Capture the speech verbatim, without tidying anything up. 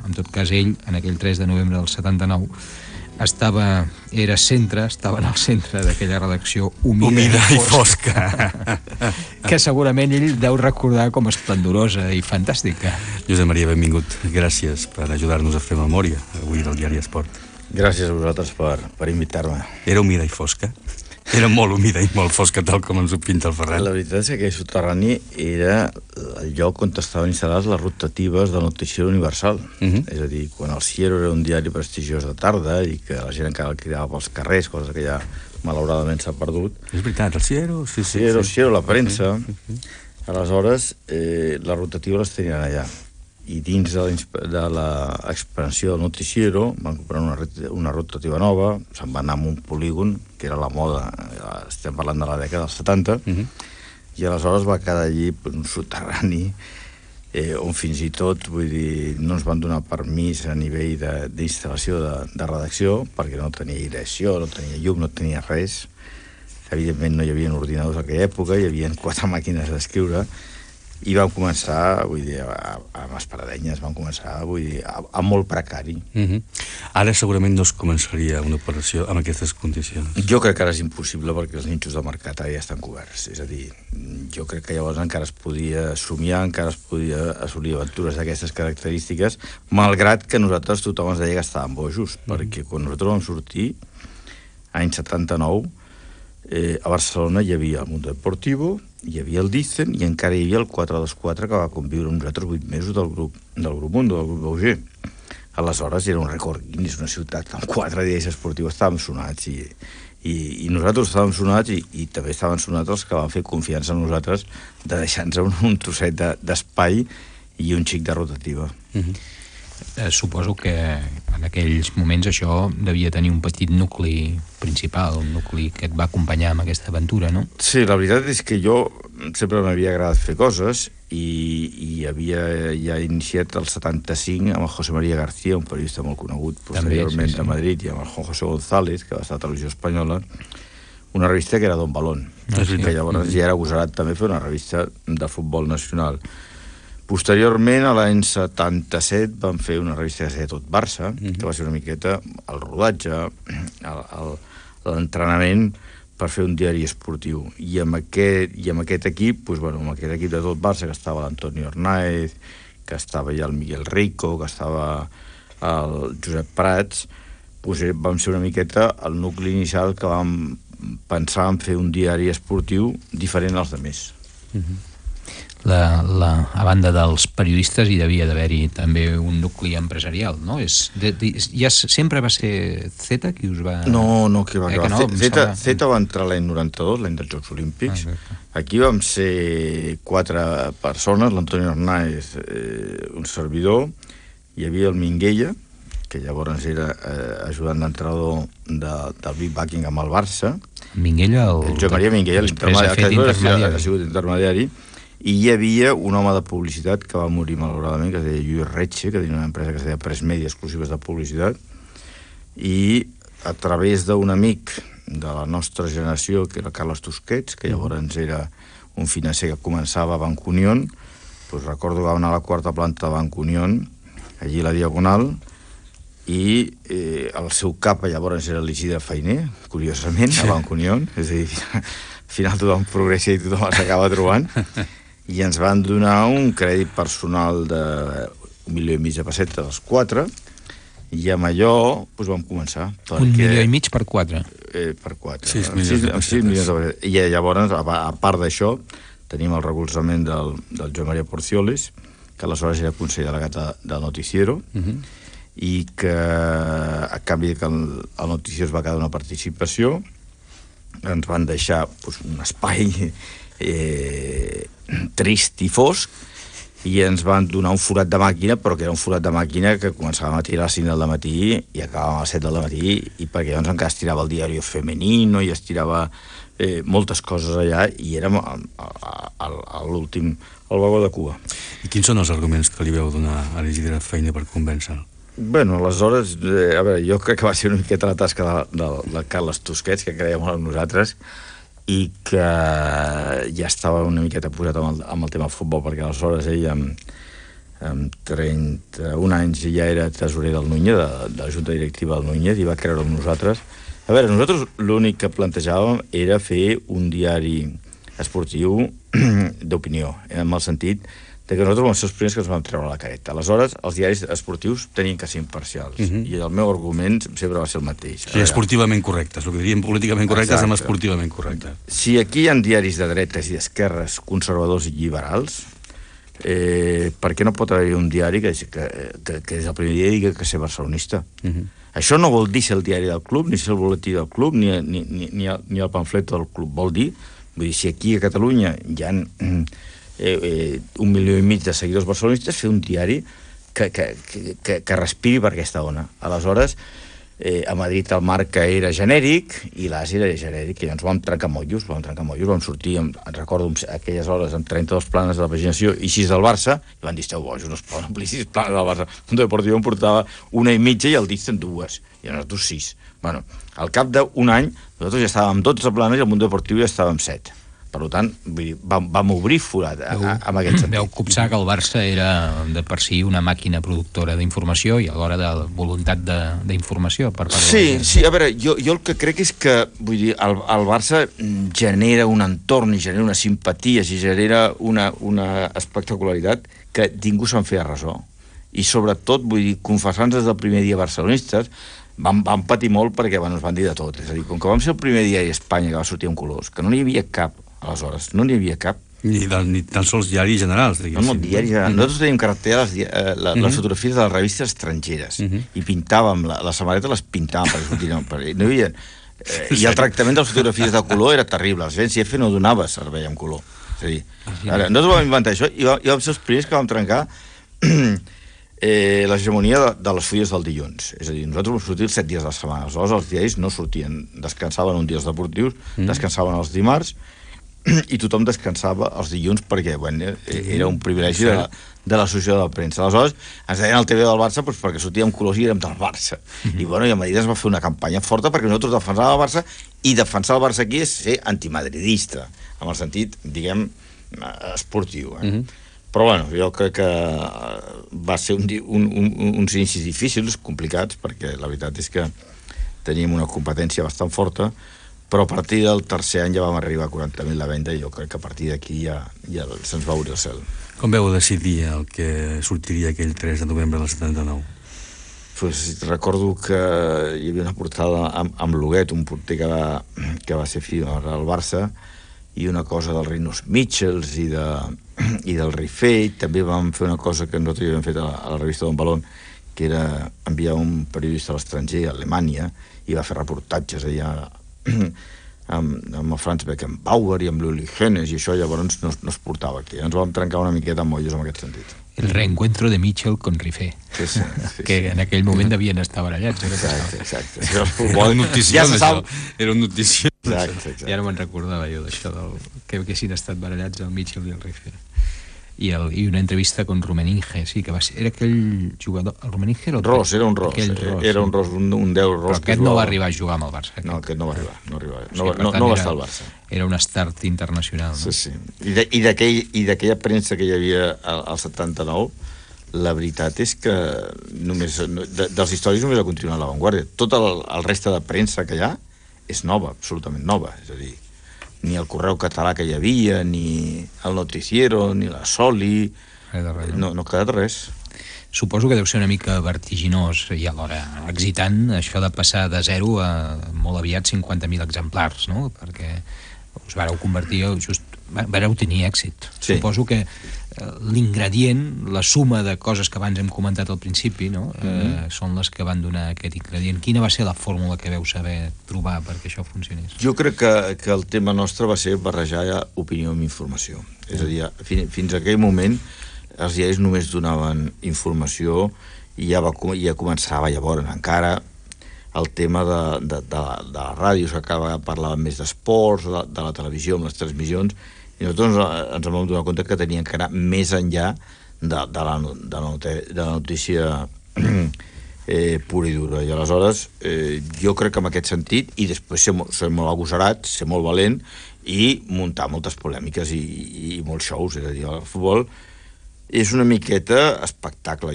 en tot cas ell, en aquell tres de novembre del setanta-nou, estava, era centre, estava en el centre d'aquella redacció humida, humida i fosca, i fosca. que segurament ell deu recordar com esplendorosa i fantàstica. Josep Maria, benvingut. Gràcies per ajudar-nos a fer memòria avui del diari Esport. Gràcies a vosaltres per, per invitar-me. Era humida i fosca? Era molt humida i molt fosca, tal com ens ho pinta el Ferran. La veritat és que aquell soterrani era el lloc on estaven instal·lades les rotatives del Noticiero Universal. Uh -huh. És a dir, quan el Ciero era un diari prestigiós de tarda i que la gent encara el cridava pels carrers, cosa que ja malauradament s'ha perdut. És veritat, el Ciero, sí, sí. Ciero, sí. Ciero, la premsa. Uh -huh. Aleshores, eh, les rotatives les tenien allà. I dins de l'expansió del Noticiero van comprar una, una rotativa nova, se'n va anar a un polígon, que era la moda, estem parlant de la dècada dels setanta, uh -huh. i aleshores va quedar allí un soterrani eh, on fins i tot, vull dir, no ens van donar permís a nivell d'instal·lació de, de, de redacció, perquè no tenia aireació, no tenia llum, no tenia res. Evidentment no hi havia ordinadors en aquella època, hi havia quatre màquines d'escriure, i vam començar, vull dir, amb esparadenyes, vam començar, vull dir, a, a molt precari. Uh -huh. Ara segurament no es començaria una operació amb aquestes condicions. Jo crec que ara és impossible perquè els nínxols de mercat ara ja estan coberts. És a dir, jo crec que llavors encara es podia somiar, encara es podia assolir aventures d'aquestes característiques, malgrat que nosaltres tothom ens deia que estàvem bojos, uh -huh. perquè quan nosaltres vam sortir, any setanta-nou, eh, a Barcelona hi havia el Mundo Deportivo, hi havia el Dicen i encara hi havia el quatre dos quatre que va conviure amb nosaltres vuit mesos del grup, del grup Mundo, del grup Bauger. Aleshores era un rècord Guinness, una ciutat amb quatre diaris esportius, estàvem sonats i, i, i nosaltres estàvem sonats i, i també estaven sonats els que van fer confiança en nosaltres de deixar-nos un, un trosset d'espai i un xic de rotativa. Uh-huh. Eh, suposo que en aquells moments això devia tenir un petit nucli principal, un nucli que et va acompanyar amb aquesta aventura, no? Sí, la veritat és que jo sempre m'havia agradat fer coses i, i havia ja iniciat el setanta-cinc amb el José María García, un periodista molt conegut posteriorment també, sí, sí. de Madrid, i amb el Juan José González, que va estar a Televisió Espanyola, una revista que era Don Balón, ah, sí. que llavors ja era agosarat també fer una revista de futbol nacional. Posteriorment, a l'any setanta-set, vam fer una revista que es deia Tot Barça, mm-hmm. que va ser una miqueta el rodatge, l'entrenament per fer un diari esportiu. I amb aquest, i amb aquest equip, doncs, bueno, amb aquest equip de Tot Barça, que estava l'Antonio Hernáez, que estava ja el Miguel Rico, que estava el Josep Prats, doncs vam ser una miqueta el nucli inicial que vam pensar en fer un diari esportiu diferent als altres. Mm-hmm. La, la, a banda dels periodistes hi devia d'haver-hi també un nucli empresarial, no? És, de, de, ja sempre va ser Zeta qui us va... No, no, qui va acabar. Eh, no, Zeta, Zeta va entrar l'any noranta-dos, l'any dels Jocs Olímpics. Ah, aquí vam ser quatre persones, l'Antonio Hernáez, eh, un servidor, hi havia el Minguella, que llavors era eh, ajudant d'entrenador de, del Big Buckingham al Barça. Minguella, el... el Joan Maria Minguella, l'intermediari, que ha sigut intermediari. I hi havia un home de publicitat que va morir malauradament, que es deia Lluís Retxe, que tenia una empresa que es deia Press Media, exclusives de publicitat, i a través d'un amic de la nostra generació, que era Carles Tusquets, que llavors era un financer que començava a Banc Unión, doncs recordo que va anar a la quarta planta de Banc Unión, allí a la Diagonal, i eh, el seu cap llavors era l'Isidre Fainé, curiosament, a Banc Unión, és a dir, al final tothom progressa i tothom s'acaba trobant, i ens van donar un crèdit personal d'un milió i mig de pessetes als quatre, i amb allò doncs, vam començar. Perquè, un milió i mig per quatre? Eh, per quatre. sis milions de pessetes. I llavors, a, a part d'això, tenim el recolzament del, del Joan Maria Porcioles, que aleshores era conseller delegat del Noticiero, uh -huh. i que a canvi que el, el Noticiero es va quedar una participació, ens van deixar doncs, un espai eh, trist i fosc, i ens van donar un forat de màquina, però que era un forat de màquina que començàvem a tirar a les cinc del matí i acabàvem a les set del matí, i perquè llavors encara es tirava el diari femenino i es tirava eh, moltes coses allà, i érem a, a, a, a l'últim, al vagó de cua. I quins són els arguments que li veu donar a l'Isidre Fainé per convèncer-lo? Bueno, aleshores, eh, a veure, jo crec que va ser una miqueta la tasca de, de, de Carles Tusquets, que creia molt en nosaltres, i que ja estava una miqueta posat amb el, amb el tema del futbol, perquè aleshores ell amb, amb trenta-un anys ja era tresorer del Núñez, de, de la Junta Directiva del Núñez, i va creure amb nosaltres. A veure, nosaltres l'únic que plantejàvem era fer un diari esportiu d'opinió, en el sentit de que nosaltres vam ser els primers que ens vam treure la careta. Aleshores, els diaris esportius tenien que ser imparcials, uh -huh. i el meu argument sempre va ser el mateix. Sí, esportivament correctes, el que diríem políticament correctes amb esportivament correctes. Si aquí hi ha diaris de dretes i d'esquerres, conservadors i liberals, eh, per què no pot haver un diari que, que, que, que des del primer dia digui que ser barcelonista? Uh -huh. Això no vol dir ser el diari del club, ni ser el boletí del club, ni, ni, ni, ni, el, ni el pamflet del club. Vol dir, vull dir, si aquí a Catalunya hi ha eh, eh, un milió i mig de seguidors barcelonistes, fer un diari que, que, que, que respiri per aquesta ona. Aleshores, eh, a Madrid el Marca era genèric i l'As era genèric, i ens vam trencar mollos, vam trencar mollos, vam sortir, amb, recordo aquelles hores, amb trenta-dos planes de la paginació i sis del Barça, i van dir, esteu bojos, no es poden omplir sis planes del Barça. Un deportiu em portava una i mitja i el dit en dues, i nosaltres sis. Bueno, al cap d'un any, nosaltres ja estàvem amb dotze planes i el Mundo Deportiu ja estava amb set. Per tant, vull dir, vam, vam obrir forat a, a, amb aquest sentit. Veu copsar que el Barça era de per si una màquina productora d'informació i alhora de voluntat d'informació per part sí, de la... Sí, a veure, jo, jo el que crec és que, vull dir, el, el Barça genera un entorn i genera una simpatia i genera una, una espectacularitat que ningú se'n feia ressò. I sobretot, vull dir, confessant des del primer dia barcelonistes, vam, vam patir molt perquè bueno, ens van dir de tot. És a dir, com que vam ser el primer dia a Espanya que va sortir en colors, que no n'hi havia cap, aleshores, no n'hi havia cap. Ni, de, ni tan sols diaris generals, diguéssim. No, no, diaris generals. Nosaltres teníem carretera les, eh, la, les fotografies de les revistes estrangeres, uh -huh. i pintàvem, la, la samarreta les pintàvem per sortir. No, per, no hi havia, eh, I el tractament de les fotografies de color era terrible. Els V N C F no donava servei en color. És a dir, ara, nosaltres vam inventar això i vam, i vam ser els primers que vam trencar eh, l'hegemonia de, de les fulles del dilluns. És a dir, nosaltres vam sortir els set dies de la setmana. Aleshores, els diaris no sortien, descansaven un dia els deportius, mm. descansaven els dimarts, i tothom descansava els dilluns perquè bueno, era un privilegi de la, de l'associació de la premsa. Aleshores, ens deien al T V del Barça doncs, perquè sortíem colors i érem del Barça. Mm-hmm. I, bueno, i a Madrid es va fer una campanya forta perquè nosaltres defensàvem el Barça, i defensar el Barça aquí és ser antimadridista, en el sentit, diguem, esportiu. Eh? Mm-hmm. Però, bueno, jo crec que va ser un, un, un, uns inicis difícils, complicats, perquè la veritat és que teníem una competència bastant forta, però a partir del tercer any ja vam arribar a quaranta mil la venda i jo crec que a partir d'aquí ja, ja se'ns va obrir el cel. Com veu decidir el que sortiria aquell tres de novembre del setanta-nou? Pues, recordo que hi havia una portada amb, amb Loguet, un porter que va, que va ser fill al Barça, i una cosa del Rinos Mitchells i, de, i del Rifei. També vam fer una cosa que nosaltres havíem fet a la, a la revista Don Balón, que era enviar un periodista a l'estranger, a Alemanya, i va fer reportatges allà amb, amb el Franz Beckenbauer i amb l'Uli Genes, i això llavors no, no es portava aquí. Ens vam trencar una miqueta amb molles en aquest sentit. El reencuentro de Mitchell con Rifé, sí, sí, sí, que sí. en aquell moment devien estar barallats. Exacte, exacte. Era un notició, ja això. Era un notició. Exacte, exacte. Ja no me'n recordava jo d'això, del, que haguessin estat barallats el Mitchell i el Rifé. I, el, i una entrevista con Rumeninge, sí, que va ser, era aquell jugador, el Rumeninge era el... Ros, era un Ros, ros era un Ros, un, un deu Ros. Però aquest no va arribar a jugar amb el Barça. No, aquest no va arribar, no, arribar. no, sí, no, no va estar al Barça. Era un start internacional, no? Sí, sí. I d'aquella premsa que hi havia al, al setanta-nou, la veritat és que només, de, dels històrics només ha continuat la Vanguardia. Tot el, el reste de premsa que hi ha és nova, absolutament nova, és a dir, ni el Correu Català que hi havia, ni el Noticiero, ni la Soli, res de res, no, no ha quedat res. Suposo que deu ser una mica vertiginós i alhora excitant això de passar de zero a molt aviat cinquanta mil exemplars, no? Perquè us vareu convertir, just, vareu tenir èxit. Sí. Suposo que l'ingredient, la suma de coses que abans hem comentat al principi, no? Mm-hmm. eh, són les que van donar aquest ingredient. Quina va ser la fórmula que veu saber trobar perquè això funcionés? Jo crec que, que el tema nostre va ser barrejar ja opinió amb informació. Mm. És a dir, fins, fins a aquell moment els diaris només donaven informació i ja, va, ja començava llavors encara el tema de, de, de, de la ràdio, s'acaba parlant més d'esports, de, de la televisió, amb les transmissions, i nosaltres ens vam donar compte que tenien que anar més enllà de, de, la, de, la, de la notícia eh, pura i dura. I aleshores eh, jo crec que en aquest sentit, i després ser, ser molt agosarat, ser molt valent i muntar moltes polèmiques i, i molts shows. És a dir, el futbol és una miqueta espectacle.